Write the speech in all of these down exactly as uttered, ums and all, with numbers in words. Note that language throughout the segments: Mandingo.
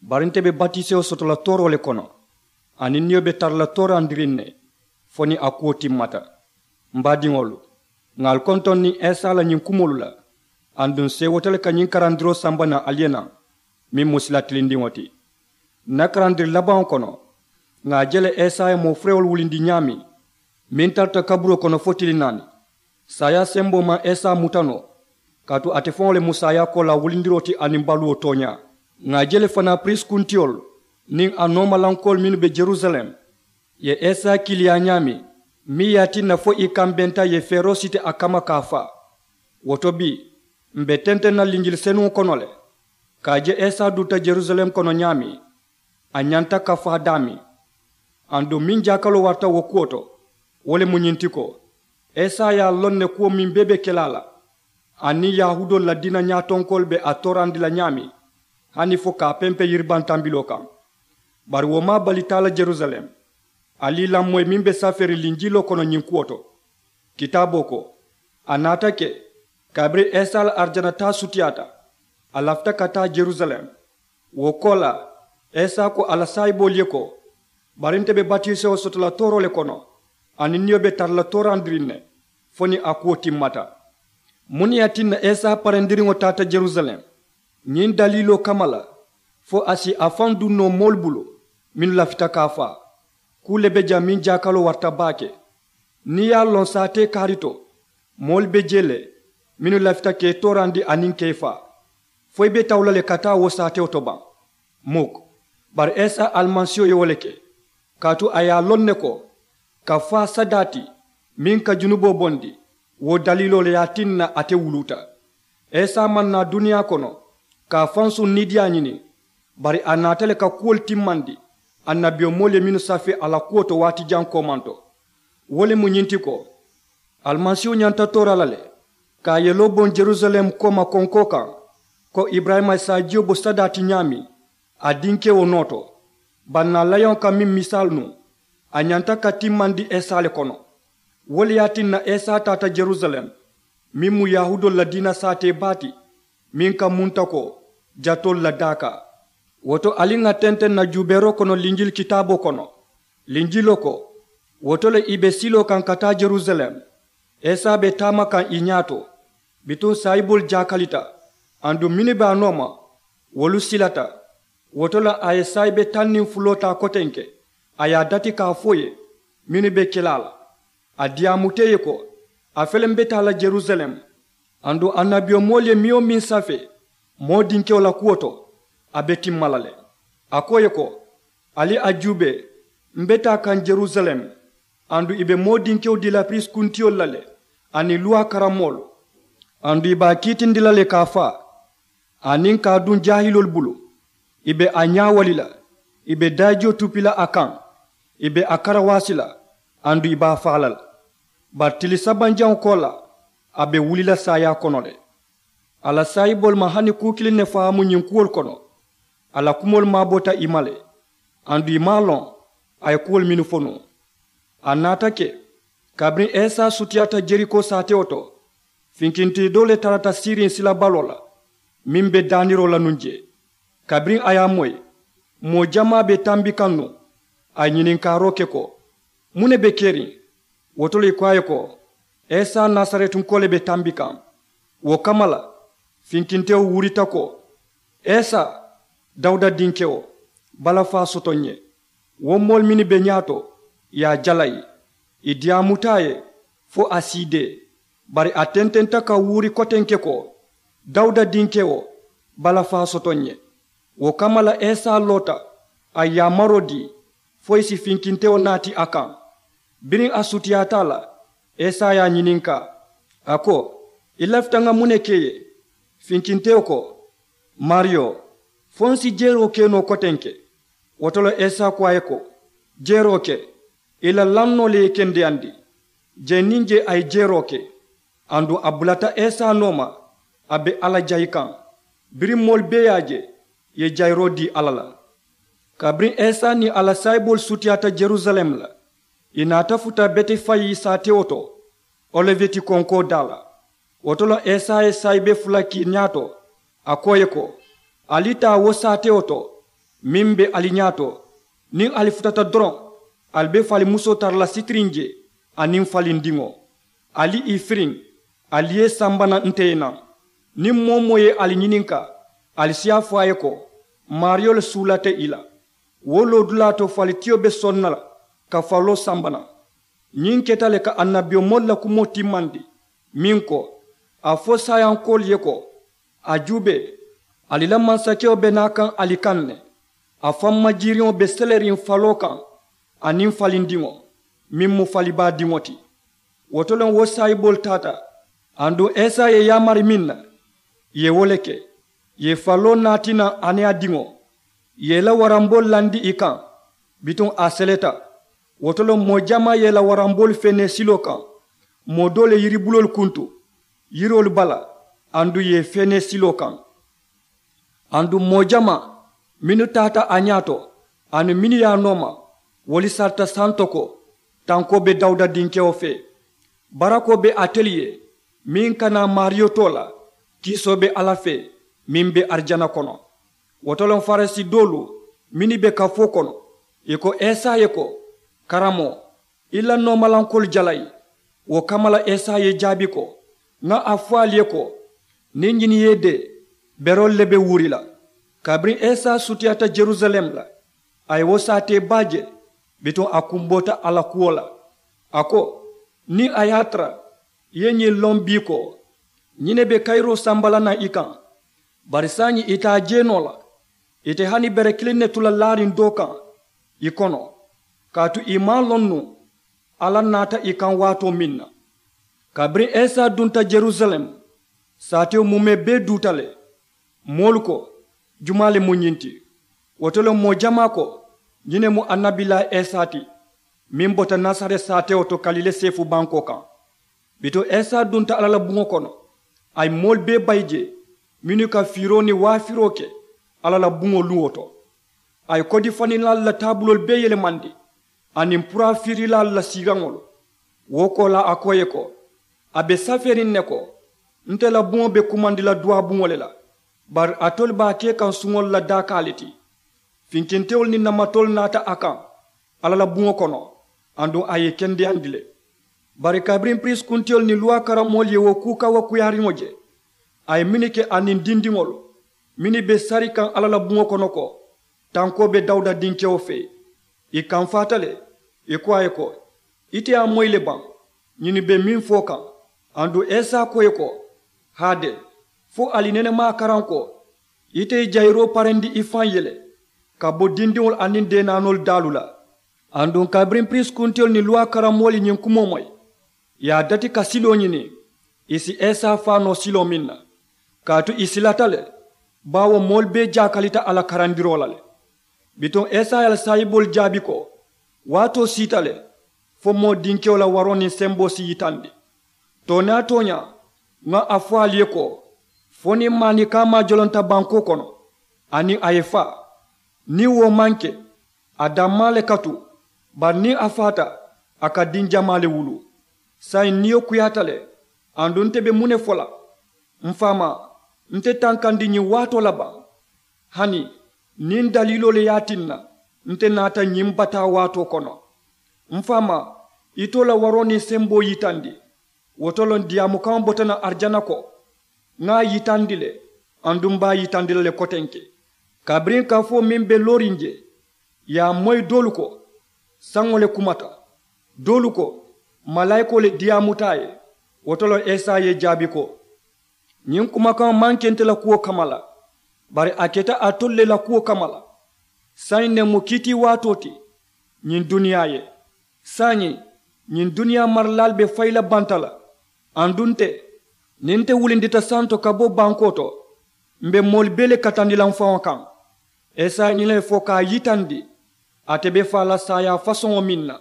Bari nte be batisewo soto la tooroo le kono, aniŋ niyo be tara la toorandiriŋ ne fo niŋ a kuwo timmata. M baadiŋolu, ŋà ali kontoŋ niŋ esa la ñiŋ kumoolu la, aduŋ seewoota le ka ñiŋ karandiroo samba naŋ ali ye naŋ, meŋ mu sila tilindiŋo ti. N na karandiri labaŋo kono, ŋà a je le esa ye moo furewolu wulindi ñaameŋ, meŋ tarata kaburoo kono fo tili naani. Saayaa semboo maŋ esa muta noo, kaatu ate faŋo le mu saayaa koolaa wulindiroo ti aniŋ baluwo tooñaa. Ŋà a je le fanaa piriisi kuntiyolu niŋ a noomalankoolu mennu be jerusalem ye esa kiiliyaa ñaameŋ, meŋ ye a tinna fo ì kambenta ì ye feeroo siti a kamma ka a faa. Wo to bii, m̀ be tenteŋ na linjili senuŋo kono le, ka a je esa dunta jerusalem kono ñaameŋ, a ñanta ka faa daameŋ. Aduŋ meŋ jaakaloo warata wo kuwo to, wo le mu ñiŋ ti ko, esa ye a loŋ ne kuwo meŋ bee be ke la a la, aniŋ yahuudoolu la diina ñaatonkoolu be a toorandi la ñaameŋ, hani fo ka a pempe yiribantambiloo kaŋ. Bari wo maŋ a bali taa la jerusalem. Ali ì lamoyi meŋ be safeeriŋ linjiloo kono ñiŋ kuwo to. Kitaaboo ko, a naata ke, kabiriŋ esa la arijana taa sutiyaata, a lafita ka taa jerusalem. Wo koolaa, esa ko a la saayiboolu ye ko, bari nte be batisewo soto la tooroo le kono, aniŋ niyo be tara la toorandiriŋ ne fo niŋ a kuwo timmata. Muŋ ne ye a tinna esa parendiriŋo taata jerusalem? Ñiŋ daliiloo kamma la, fo a si a faŋ duŋ noo moolu bulu mennu lafita ka a faa. Kuu le be jaŋ meŋ jaakaloo warata baake. Niŋ ì ye a loŋ saatee kaari to, moolu be jee le mennu lafita ka ì toorandi aniŋ ka ì faa, fo ì be tawu la le ka taa wo saatewo to baŋ? Muk. Bari esa alimasiiho ye wo le ke, kaatu a ye a loŋ ne ko, ka faa sadaa ti meŋ ka junuboo bondi, wo daliiloo le ye a tinna ate wuluuta. Esa maŋ naa duniyaa kono ka a faŋ suŋ niidiyaa ñini, bari a naata le ka kuwolu timmandi annabiyomoolu ye mennu safee a la kuwo to waati jaŋ koomanto. Wo le mu ñiŋ ti ko, alimasiihu ñanta toora la le, ka a yeloo boŋ jerusalem kooma konkoo kaŋ, ko iburayima ye saajiyo bo sadaa ti ñaameŋ a dinkewo noo to. Bari naa layoŋo ka meŋ misaalu nuŋ, a ñanta ka timmandi esa le kono. Wo le ye a tinna esa taata jerusalem, meŋ mu yahuudoolu la diina saatee baa ti, meŋ ka munta ko jatoolu la daakaa. Wo to ali ŋà tenteŋ na juubeeroo kono linjili kitaaboo kono. Linjiloo ko, wo to le ì be siloo kaŋ ka taa jerusalem, esa be taama kaŋ ì ñaato. Bituŋ saayiboolu jaakalita, aduŋ mennu be a nooma, wolu silata. Wo to le a ye saayibe taŋ niŋ fuloo taa kotenke, a ye a dati ka a fo ì ye mennu be ke la a la. A diyaamuta ì ye ko, a fele m be taa la jerusalem, aduŋ annabiyomoolu ye meŋ-wo-meŋ safee moo dinkewo la kuwo to, a be timma la le. A ko ì ye ko, ali a juubee, m be taa kaŋ jerusalem, aduŋ ì be moo dinkewo dii la piriisi kuntiyolu la le, aniŋ luwaa karammoolu. Aduŋ ì be a kiitindi la le ka a faa, aniŋ ka a duŋ jaahiloolu bulu. Ì be a ñaawali la, ì be daajiyo tupi la a kaŋ, ì be a karawaasi la, aduŋ ì be a faa la le. Bari tili sabanjaŋo koolaa, a be wuli la saayaa kono le. A la saayiboolu maŋ hani kuu kiliŋ ne faamu ñiŋ kuwolu kono. A la kumoolu maaboota ì ma le, aduŋ ì maŋ a loŋ a ye kuwolu mennu fo nuŋ. A naata ke, kabiriŋ esa sutiyaata jeriko saatewo to, finkintee doo le tarata siiriŋ silabaloo la, meŋ be daaniroo la nuŋ jee. Kabiriŋ a ye a moyi, moo jamaa be tambi kaŋ nuŋ, a ye ñininkaaroo ke ko, muŋ ne be keriŋ? Wo to le ì ko a ye ko, esa nasaretunkoo le be tambi kaŋ. Wo kamma la, finkintewo wuurita ko, esa, dawuda dinkewo, balafaa soto n ye. Wo moolu mennu be ñaato, ì ye a jalayi, ì diyaamuta a ye fo a siidee. Bari a tententa ka wuuri kotenke ko, dawuda dinkewo, balafaa soto n ye. Wo kamma la esa loota, a ye yaamaroo dii, fo ì si finkintewo naati a kaŋ. Biriŋ a sutiyaata a la, esa ye a ñininkaa, a ko, i lafita ŋa muŋ ne ke ì ye? Finkintewo ko, maariyo, fo n si jeeroo ke noo kotenke? Wo to le esa ko a ye ko, jeeroo ke. I la lannoo le ye i kendeyandi. Jee niŋ jee a ye jeeroo ke. Aduŋ a bulata esa nooma, a be alla jayi kaŋ. Biriŋ moolu bee ye a je, ì ye jayiroo dii alla la. Kabiriŋ esa niŋ a la saayiboolu sutiyaata yerusalem la, ì naata futa betefayi saatewo to, oliveti konkoo daa la. Wo to le esa ye saayibe fula ke ñaato, a ko ì ye ko, ali taa wo saatewo to, Meŋ be ali ñaato, niŋ ali futata doroŋ, ali be falimusoo tara la sitiriŋ je, aniŋ falindiŋo. Ali ì firiŋ, ali ye samba naŋ nte ye naŋ. Niŋ moo-wo-moo ye ali ñininkaa, ali si a fo a ye ko, maariyo le suulata ì la. Wo loodulaa to falitiyo be soŋ na la, ka faloo samba naŋ. Ñiŋ keta le ka annabiyomoolu la kumoo timmandi, meŋ ko, a fo saayankoolu ye ko, a juubee, ali la mansakewo be naa kaŋ ali kaŋ ne. A faŋ majiiriŋo be seleriŋ faloo kaŋ, aniŋ falindiŋo, meŋ mu falibaa diŋo ti. Wo to le wo saayiboolu taata, aduŋ esa ye yaamari meŋ na, ì ye wo le ke. Ì ye faloo naati naŋ aneya diŋo, ì ye ì la waramboolu landi ì kaŋ. Bituŋ a seleta. Wo to le moo jamaa ye ì la waramboolu feenee siloo kaŋ. Moo doo le yiribuloolu kuntu yiroolu bala, aduŋ ì ye ì feenee siloo kaŋ. Aduŋ moo jamaa mennu taata a ñaato, aniŋ mennu ye a nooma, wolu sarita santo ko, tankoo be dawuda dinkewo fee. Barakoo be atelu ye, meŋ ka naa maariyo too la. Kiisoo be alla fee, meŋ be arijana kono. Wo to le farisi doolu mennu be kafoo kono, ì ko esa ye ko, karamoo, i la noomalankoolu jalayi. Wo kamma la esa ye ì jaabi ko, ŋa a fo ali ye ko, niŋ ñiŋ ye ì dee, beroolu le be wuuri la. Kabiriŋ esa sutiyaata jerusalem la, a ye wo saatee baa je. Bituŋ a kumboota a la kuwo la. A ko, niŋ a ye a tara ì ye ñiŋ loŋ bii ko, ñiŋ ne be kayiroo samba la naŋ i kaŋ. Bari saayiŋ ì te a je noo la. Ì te hani bere kiliŋ ne tu la laariŋ doo kaŋ ì kono, kaatu ì maŋ a loŋ nuŋ alla naata ì kaŋ waatoo meŋ na. Kabiriŋ esa dunta jerusalem, saatewo muumee bee duuta le. Moolu ko, jumaa le mu ñiŋ ti? Wo to le moo jamaa ko, ñiŋ ne mu annabilaa esa ti, meŋ bota nasareti saatewo to kalile seefu bankoo kaŋ. Bituŋ esa dunta alla la buŋo kono, a ye moolu bee bayi jee, mennu ka fiiroo niŋ waafiroo ke alla la buŋo luŋo to. A ye kodifaninlaalu la taabuloolu bee yelemandi, aniŋ puraafiirilaalu la siiraŋolu. Wo koolaa a ko ì ye ko, a be safeeriŋ ne ko, nte la buŋo be kumandi la duwaabuŋo le la. Bari alitolu be a ke kaŋ suŋolu la daakaa le ti. Finkintewolu niŋ namatoolu naata a kaŋ alla la buŋo kono, aduŋ a ye ì kendeyandi le. Bari kabiriŋ piriisi kuntiyolu niŋ luwaa karammoolu ye wo kuu kawakuyaariŋo je, a ye mennu ke aniŋ dindiŋolu mennu be sari kaŋ alla la buŋo kono ko, tankoo be dawuda dinkewo fee, ì kamfaata le. Ì ko a ye ko, ite ye a moyi le baŋ? Ñinnu be meŋ fo kaŋ. Aduŋ esa ko ì ye ko, haade, fo ali nene maŋ a karaŋ ko, ite ye jayiroo parendi i faŋ ye le, ka bo dindiŋolu aniŋ deenaanoolu daalu la. Aduŋ kabiriŋ piriisi kuntiyolu niŋ luwaa karammoolu ye ñiŋ kumoo moyi, ì ye a dati ka siloo ñini, ì si esa faa noo siloo meŋ na. Kaatu ì silata le, baawo moolu bee jaakalita a la karandiroo la le. Bituŋ esa ye a la saayiboolu jaabi ko, waatoo siita le, fo moo dinkewo la waroo niŋ semboo si yitandi. Tooñaa tooñaa, ŋa a fo ali ye ko, fo niŋ maanikaa maajolonta bankoo kono, aniŋ a ye faa, niŋ wo maŋ ke, a dammaa le ka tu. Bari niŋ a faata, a ka diŋ jamaa le wuluu. Saayiŋ niyo kuyaata le. Aduŋ nte be muŋ ne fo la? M̀ faamaa, nte tankandi ñiŋ waatoo la baŋ? Hani niŋ daliiloo le ye a tinna nte naata ñiŋ bataa waatoo kono. M̀ faamaa, ite wo la waroo niŋ semboo yitandi. Wo to le diyaamukaŋo bota naŋ arijana ko, ŋa a yitandi le, aduŋ m̀ be a yitandi la le kotenke. Kabiriŋ kafoo meŋ be looriŋ jee, ì ye a moyi doolu ko, saŋo le kumata. Doolu ko, malaayikoo le diyaamuta a ye. Wo to le esa ye ì jaabi ko, ñiŋ kumakaŋo maŋ ke nte la kuwo kamma la, bari a keta alitolu le la kuwo kamma la. Saayiŋ ne mu kiitiiwaatoo ti ñiŋ duniyaa ye. Saayiŋ ñiŋ duniyaa maralaalu be fayi la banta la. Aduŋ nte, niŋ nte wulindita santo ka bo bankoo to, m̀ be moolu bee le katandi la m̀ faŋo kaŋ. Esa ye ñiŋ ne fo ka a yitandi, ate be faa la saayaa fasoŋo meŋ na.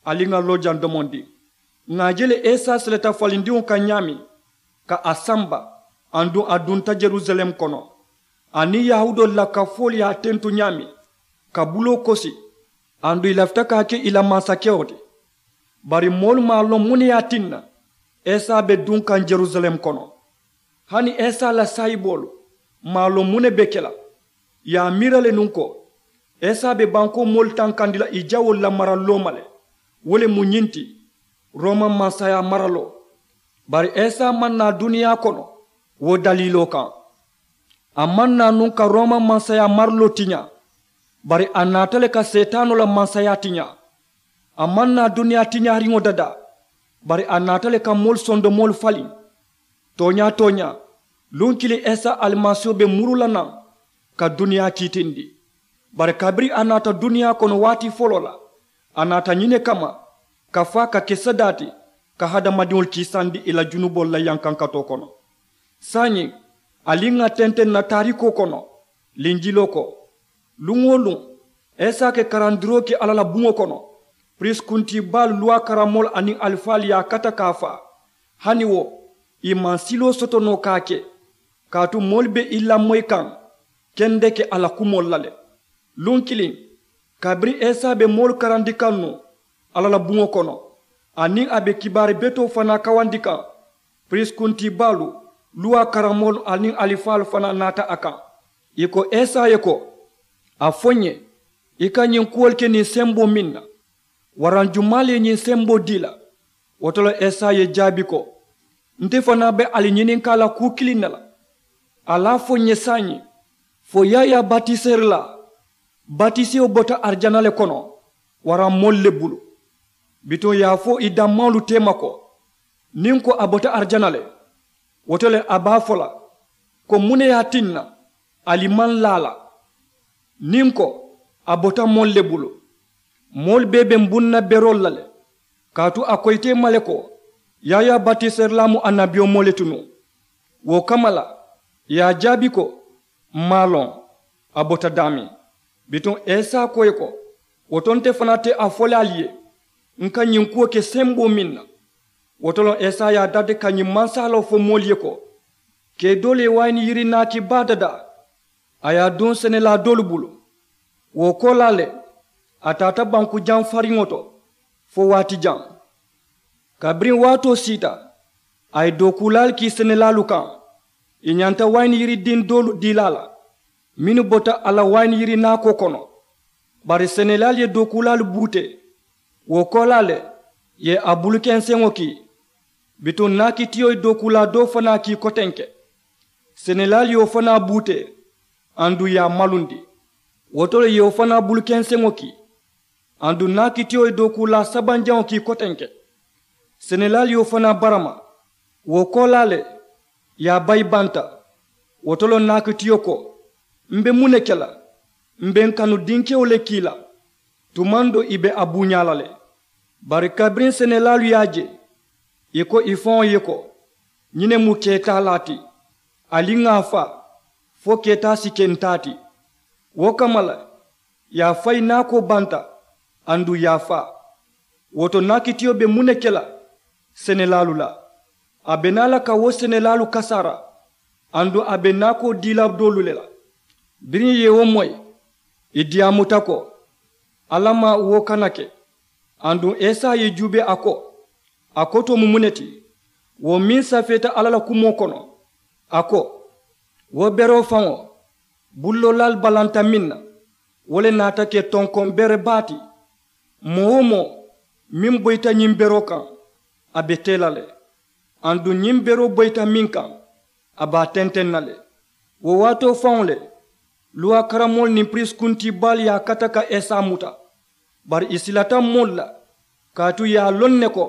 Ali ŋà loo jaŋ domondi. Ŋà a je le esa seleta falindiŋo kaŋ ñaameŋ, ka a samba, aduŋ a dunta jerusalem kono. Aniŋ yahuudoolu la kafoolu ye a tentu ñaameŋ, ka buloo kosi, aduŋ ì lafita ka a ke ì la mansakewo ti. Bari moolu maŋ a loŋ muŋ ne ye a tinna esa be duŋ kaŋ jerusalem kono. Hani esa la saayiboolu maŋ a loŋ muŋ ne be ke la. Ì ye a miira le nuŋ ko, Esa be bankoo moolu tankandi la ì jawoolu la maraloo ma le. Wo le mu ñiŋ ti, rooma mansayaa maraloo. Bari esa maŋ naa duniyaa kono wo daliiloo kaŋ. A maŋ naa nuŋ ka rooma mansayaa maraloo tiñaa. Bari a naata le ka seetaanoo la mansayaa tiñaa. A maŋ naa duniyaa tiñaariŋo dadaa. Bari a naata le ka moolu sondomoolu faliŋ. Tooñaa tooñaa, luŋ kiliŋ esa alimasiiho be muru la naŋ ka duniyaa kiitindi. Bari kabiriŋ a naata duniyaa kono waati foloo la, a naata ñiŋ ne kamma, ka faa ka ke sadaa ti, ka hadamadiŋolu kiisandi ì la junuboolu la yankankatoo kono. Saayiŋ, ali ŋà tenteŋ na taarikoo kono, linjiloo ko, luŋ-wo-luŋ, esa ke karandiroo ke alla la buŋo kono, piriisi kuntii baalu luwaa karamoolu aniŋ alifaalu ye a kata ka a faa. Hani wo, ì maŋ siloo soto noo ka a ke, kaatu moolu be ì lamoyi kaŋ kendeke a la kumoolu la le. Luŋ kiliŋ, kabiriŋ esa be moolu karandi kaŋ nuŋ alla la buŋo kono, aniŋ a be kibaari betoo fanaa kawandi kaŋ, piriisi kuntii baalu, luwaa karamoolu aniŋ alifaalu fanaa naata a kaŋ. Ì ko esa ye ko, a fo ǹ ye, i ka ñiŋ kuwolu ke niŋ semboo meŋ na, waraŋ jumaa le ye ñiŋ semboo dii la? Wo to le esa ye jaabi ko, nte fanaa be ali ñininkaa la kuu kiliŋ ne la. Ali a fo ǹ ye saayiŋ, fo yaayaa batiseerilaa batisewo bota arijana le kono, waraŋ moolu le bulu? Bituŋ ì ye a fo ì dammaŋolu teema ko, niŋ ko a bota arijana le, wo to le a be a fo la ko, muŋ ne ye a tinna ali maŋ laa a la? Niŋ ko, a bota moolu le bulu, moolu bee be m̀ buŋ na beroolu la le. Kaatu a ko ite ma le ko, yaayaa batiseerilaa mu annabiyomoo le ti nuŋ. Wo kamma la, ì ye a jaabi ko, m̀ maŋ a loŋ a bota daameŋ. Bituŋ esa ko ì ye ko, wo to nte fanaa te a fo le ali ye, ǹ ka ñiŋ kuwo ke semboo meŋ na? Wo to loŋ esa ye a dariti ka ñiŋ mansaaloo fo moolu ye ko, kee doolu ye wayini yiri naaki baa dadaa, a ye a duŋ senelaa doolu bulu. Wo koolaa le, a taata banku jaŋ fariŋo to fo waati jaŋ. Kabiriŋ waatoo siita, a ye dookuulaalu kii senelaalu kaŋ, ì ñanta wayini yiri diŋ doolu dii la a la, mennu bota a la wayini yiri naakoo kono. Bari senelaalu ye dookuulaalu buutee. Wo koolaa le, ì ye a bulukenseŋo kii. Bituŋ naakitiyo ye dookuulaa doo fanaa kii kotenke. Senelaalu ye wo fanaa buutee, aduŋ ì ye a malundi. Wo to le ì ye wo fanaa bulukenseŋo kii. Aduŋ naakitiyo ye dookuulaa sabanjaŋo kii kotenke. Senelaalu ye wo fanaa barama. Wo koolaa le, ì ye a bayi banta. Wo to le naakitiyo ko, m̀ be muŋ ne ke la? M̀ be m̀ kanu dinkewo le kii la. Tumaŋ doo ì be a buuñaa la le. Bari kabiriŋ senelaalu ye a je, ì ko ì faŋo ye ko, ñiŋ ne mu keetaalaa ti. Ali ŋà a faa, fo keetaa si ke ǹ taa ti. Wo kamma la, ì ye a fayi naakoo banta, aduŋ ì ye a faa. Wo to naakitiyo be muŋ ne ke la senelaalu la? A be naa la ka wo senelaalu kasaara, aduŋ a be naakoo dii la doolu le la. Biriŋ ì ye wo moyi, ì diyaamuta ko, alla ma wo kana ke. Aduŋ esa ye juubee a ko, a kotoo mu muŋ ne ti, wo meŋ safeeta alla la kumoo kono? A ko, wo beroo faŋo, bulloolaalu balanta meŋ na, wo le naata ke tonkoŋ bere baa ti. Moo-wo-moo meŋ boyita ñiŋ beroo kaŋ, a be tee la le. Aduŋ ñiŋ beroo boyita meŋ kaŋ, a be a tenteŋ na le. Wo waatoo faŋo le, luwaa karamoolu niŋ piriisi kuntii baalu ye a kata ka esa muta. Bari ì silata moolu la, kaatu ì ye a loŋ ne ko,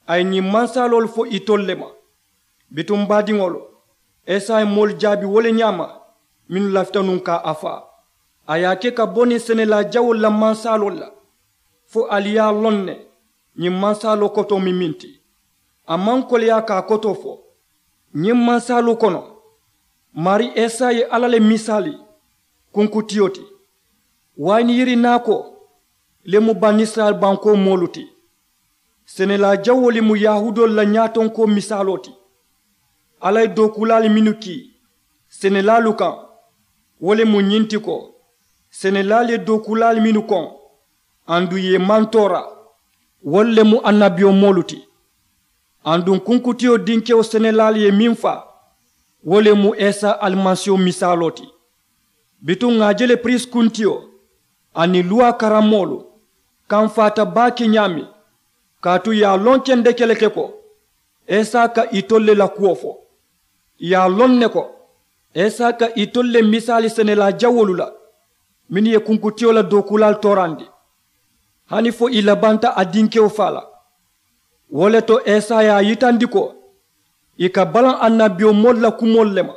a ye ñiŋ mansaaloolu fo itolu le ma. Bituŋ baadiŋolu, esa ye moolu jaabi wo le ñaama, mennu lafita nuŋ ka a faa. A ye a ke ka bo niŋ senelaa jawoolu la mansaaloolu la, fo ali ye a loŋ ne, ñiŋ mansaaloo kotoo mu meŋ ti. A maŋ koleyaa ka a kotoo fo. Ñiŋ mansaaloo kono, maarii esa ye alla le misaali kunkutiyo ti. Wayini yiri naakoo le mu banisirayila bankoo moolu ti. Senelaa jawoo le mu yahuudoolu la ñaatonkoo misaaloo ti. Alla ye dookuulaalu mennu kii senelaalu kaŋ, wo le mu ñiŋ ti ko, senelaalu ye dookuulaalu mennu koŋ, aduŋ ì ye mantoora, wolu le mu annabiyomoolu ti. Aduŋ kunkutiyo dinkewo senelaalu ye meŋ faa, wo le mu esa alimasiiho misaaloo ti. Bituŋ ŋà a je le piriisi kuntiyo, aniŋ luwaa karammoolu kamfaata baake ñaameŋ. Kaatu ì ye a loŋ kendeke le ke ko, isa ka itolu le la kuwo fo. Ì ye a loŋ ne ko, isa ka itolu le misaali senelaa jawoolu la mennu ye kunkutiyo la dookuulaalu toorandi, hani fo ì labanta a dinkewo faa la. Wo le to isa ye a yitandi ko ì ka balaŋ annabiyomoolu la kumoolu le ma,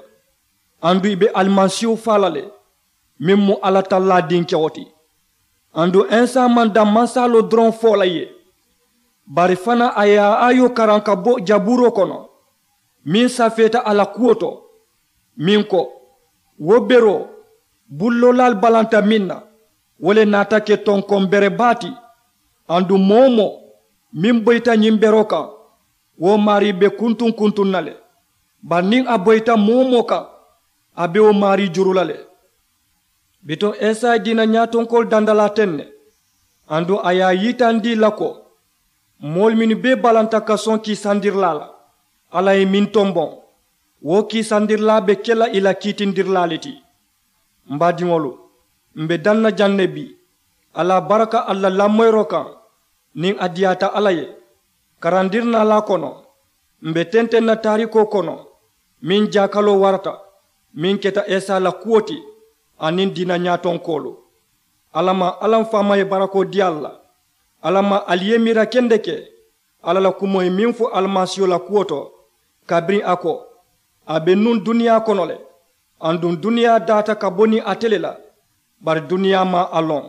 aduŋ ì be alimasiihu faa la le, meŋ mu alla tallaa dinkewo ti. Aduŋ isa maŋ daŋ mansaaloo doroŋ fo la ì ye, bari fanaa a ye a aayoo karaŋ ka bo jabuuroo kono meŋ safeeta a la kuwo to, meŋ ko, wo beroo, bulloolaalu balanta meŋ na, wo le naata ke tonkoŋ bere baa ti. Aduŋ moo-wo-moo meŋ boyita ñiŋ beroo kaŋ, wo maarii be kuntuŋ-kuntuŋ na le. Bari niŋ a boyita moo-wo-moo kaŋ, a be wo maarii juru la le. Bituŋ isa ye diina ñaatonkoolu dandalaa teŋ ne, aduŋ a ye a yitandi ì la ko, moolu mennu bee balanta ka soŋ kiisandirilaa la, alla ye meŋ tomboŋ, wo kiisandirilaa be ke la ì la kiitindirilaa le ti. M baadiŋolu, m̀ be daŋ na jaŋ ne bii, alla baraka ali la lamoyiroo kaŋ, niŋ a diyaata alla ye, karandirinaalaa kono, m̀ be tenteŋ na taarikoo kono meŋ jaakaloo warata, meŋ keta isa la kuwo ti, aniŋ diina ñaatonkoolu. Alla maŋ alla m faama ye barakoo dii ali la. Alla maŋ ali ye miira kendeke alla la kumoo ye meŋ fo alimasiiho la kuwo to, kabiriŋ a ko, a be nuŋ duniyaa kono le, aduŋ duniyaa daata ka bo niŋ ate le la, bari duniyaa maŋ a loŋ.